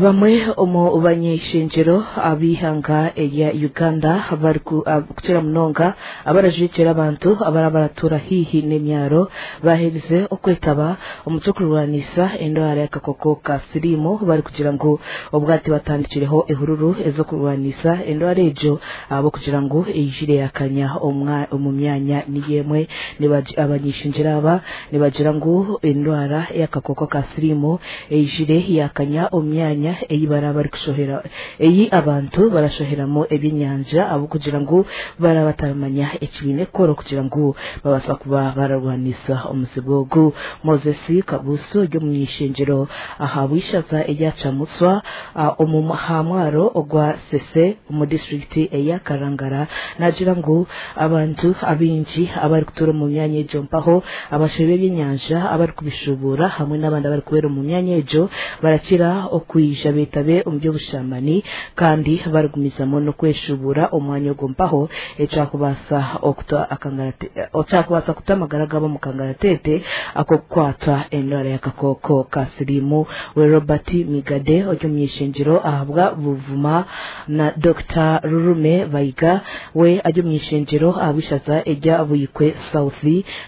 Bamwe omu bany'eishengyero ab'eihanga erya Uganda barikukira munonga abarajwekyera abantu abaraba baratuura haihi n'emyaro baaherize okwetaba omu ky'okurwanisa endwara y'akakooko ka siriimu barikugira ngu obwati batandikireho ehururu ez'okurwanisa endwara egyo ahabw'okugira ngu eijire yakanya omu myanya niyo emwe. Abany'eishengyero aba nibagira ngu endwara y'akakooko ka siriimu eijire yakanya omu myanya ei baraba barikushohera ei abantu barashoheramu ebyenyanja ahabw'okugira ngu baraba bataramanya eki baine kukora okugira ngu babaasa kuba bararwanisa omuzibu ogu. Moses Kabuusu ori omuny'eishengyero ahabw'eishaza erya Kyamutswa omu aha mwaro ogwa Ssese omu disiturikiti eya Karangara naagira ngu abantu abaingi abarikutuura omu myanya egyo mpaho abashohi b'ebyenyanja abarikubishubuura hamwe n'abandi abarikubeera omu myanya egyo barakira okwija beetabe omu by'obushamani kandi barigumizamu n'okweshubuura omwanya ogwo mpaho ekyakubaasa okuta ekyakubaasa kuta amagara gaabo omu kangaratete ak'okukwatwa endwara y'akakooko ka siriimu. We Robert Migadde ori omuny'eishengyero ahabwa Buvuma na Dokita Rurume Bayiga we ari omuny'eishengyero ahabw'eishaza erya Buikwe South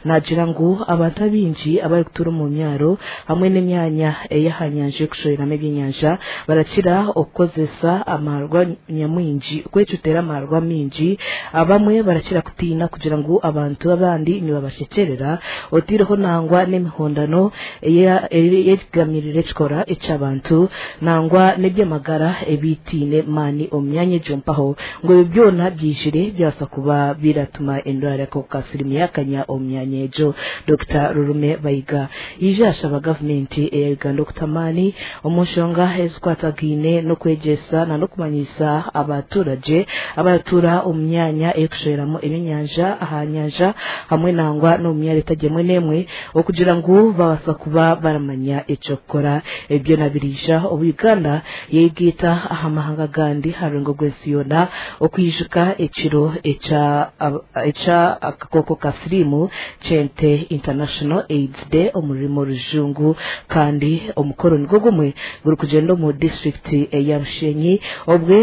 naagira ngu abantu abaingi abarikutuura omu myaro hamwe n'emyanya ey'aha nyanja y'okushoheramu ebyenyanja barakira okukozesa amaarwa nyamwingi kwecutera amaarwa maingi. Abamwe barakira kutiina kugira ngu abantu abandi nibabashekyerera otaireho nangwa n'emihondano eyegamirire ekikora eky'abantu nangwa n'eby'amagara ebitaine maani omu myanya egyo mpaho ngu ebyo byona byijire byabaasa kuba biratuma endwara y'akahuka ka siriimu yaakanya omu myanya egyo. Dokita Rurume Bayiga yaija yashaba gavumenti eya Uganda okuta amaani omu nshonga ezikwatagaine n'okwegyesa n'okumanyisa abaturagye abaratuura omu myanya ey'okushoheramu ebyenyanja aha nyanja hamwe nangwa n'omu myaro etari emwe n'emwe okugira ngu babaasa kuba baramanya eky'okukora. Ebi byona biriija obu Uganda yeegaita aha mahanga agandi aha rurengo rw'ensi yoona okwijuka ekiro ekya akakooko ka siriimu kyente International AIDS Day omu rurimi orujungu kandi omukoro nigwo gumwe gurikugyenda omu disiturikiti eya Bushenyi obwe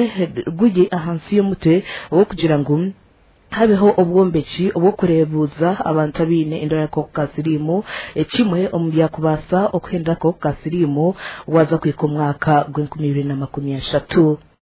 guri ahansi y'omutwe ogw'okugira ngu habeho obwombeki obw'okureebuuza abantu abaine endwara y'akakooko ka siriimu ekimwe omu byakubaasa okuhendera akakooko ka siriimu waaza kuhika omwaka gw'enkumi ibiri na makumi ashatu.